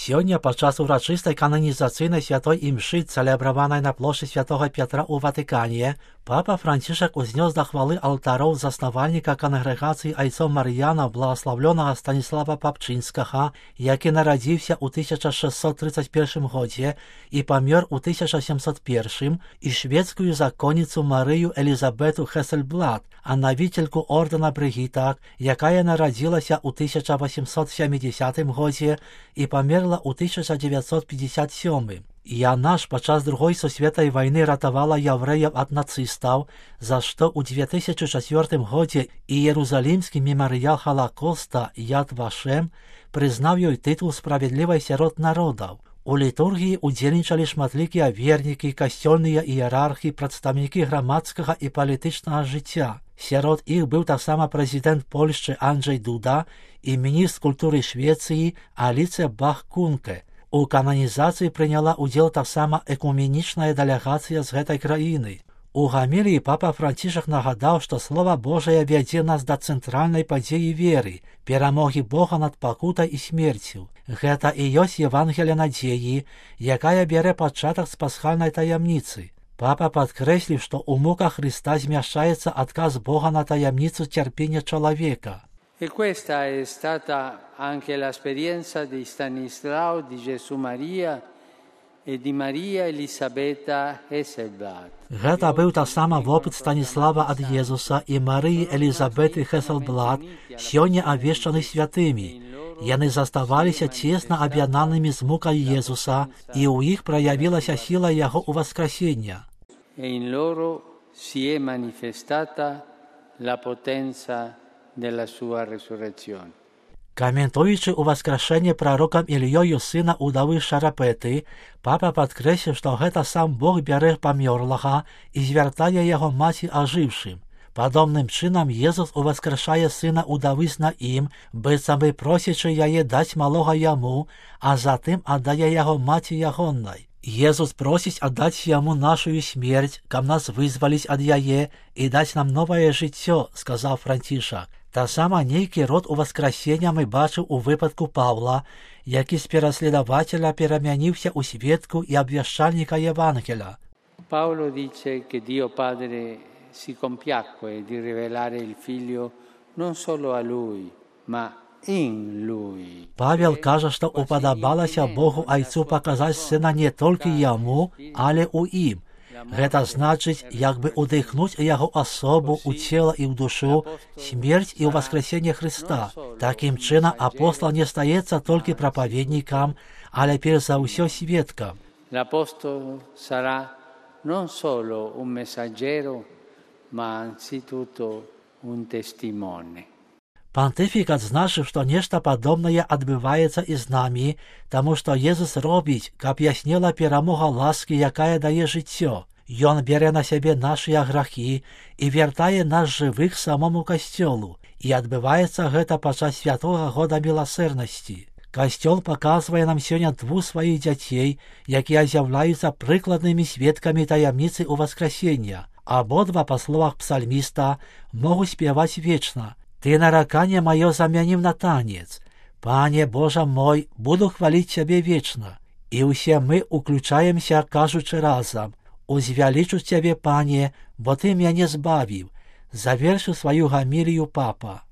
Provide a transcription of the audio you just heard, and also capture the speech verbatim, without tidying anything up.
Сёння падчас урачыстай кананізацыйнай святой імшы, цэлебраванай на плошчы святога Пятра ў Ватыкане, папа Францішак узнёс да хвалы алтароў заснавальніка кангрэгацыі айцоў Мар'янаў благаслаўлёнага Станіслава Папчынскага, які нарадзіўся ў тысяча шэсцьсот трыццаць першым годзе і памёр у тысяча сямсот першым, і шведскую законніцу Марыю Элізабету Хесельблад, анавіцельку ордэна Брыгітак, якая нарадзілася ў тысяча васемсот сямідзясятым годзе і памерла ў тысяча дзевяцьсот пятьдесят сёмым. Яна ж падчас другой сусветнай вайны ратавала яўрэяў ад нацыстаў, за што ў две тысячы чацвёртым годзе Іерусалімскі мемарыял Халакоста Яд Вашем прызнаў ёй тытул справядлівай сярод народаў. У літургіі удзельнічалі шматлікія вернікі, касцёльныя іерархі, прадстаўнікі грамадскага і палітычнага жыцця. Сярод іх быў таксама прэзідэнт Польшчы Анджэй Дуда і міністр культуры Швецыі Аліцыя Бах-Кунке. У кананізацыі прыняла ўдзел таксама экуменічная дэлегацыя з гэтай краіны. У гаміліі папа Францішак нагадаў, што Слова Божае вядзе нас да цэнтральнай падзеі веры, перамогі Бога над пакутай і смерцю. Гэта і ёсць Евангелія надзеі, якая бярэ пачатак з пасхальнай таямніцы. Папа падкрэсліў, што ў муках Хрыста змяшчаецца адказ Бога на таямніцу цярпення чалавека. E questa è stata anche l'esperienza di Stanislao, di Gesù Maria e di Maria Elisabetta Hesselblad. Гэта быў таксама вопыт Станіслава ад Езуса і Марыі Элізабеты Хесселблад, сёння абвешчаны святымі. Яны заставаліся цесна аб'яднанымі з мукай Езуса, і ў іх праявілася сіла яго ўваскрасення. E in loro si è manifestata la potenza della sua resurrezione. Каментуючы ўваскрашэнне прарокам Ільёю сына ўдавы Шарапэты, папа падкрэсліў, што гэта сам Бог бярэ памёрлага і звяртае яго маці ажыўшым. Падобным чынам Езус уваскрашае сына ўдавы з Наім, быццам бы просячы яе даць малога яму, а затым аддае яго маці ягоннай. Езус просіць аддаць яму нашую смерць, каб нас вызваліць ад яе і даць нам новае жыццё, сказаў Францішак. Таксама нейкі род уваскрасення мы бачыў у выпадку Паўла, які з пераследавацеля перамяніўся ў сведку і абвяшчальніка Евангеля. Paolo dice che Dio Padre si compiacque di rivelare il figlio non solo a lui, ma in lui. Павел кажа, што упадабалася Богу айцу паказаць сына не толькі яму, але ў ім. Гэта значыць, як бы удыхнуць яго асобу, у цела і ў душу, смерць і ўваскрасенне Хрыста. Такім чынам апостол не стаецца толькі прапаведнікам, але перш за ўсё сведкам. L'apostolo sarà non solo un messaggero, ma anzitutto un testimone. Пантыфік адзначыў, што нешта падобнае адбываецца і з намі, таму што Езус робіць, каб яснела перамога ласкі, якая дае жыццё. Ён бярэ на сябе нашыя грахі і вяртае нас жывых самому касцёлу. І адбываецца гэта падчас святога года міласэрнасці. Касцёл паказвае нам сёння двух сваіх дзяцей, якія з'яўляюцца прыкладнымі сведкамі таямніцы ўваскрасення. Абодва, па словах псальміста, могуць спяваць вечна. Ты нараканне маё замянім на танец. Пане Божа мой, буду хваліць цябе вечна. І ўсе мы уключаемся, кажучы разам: узвялічу цябе, пане, бо ты мяне збавіў. Завершыў сваю гамілію папа.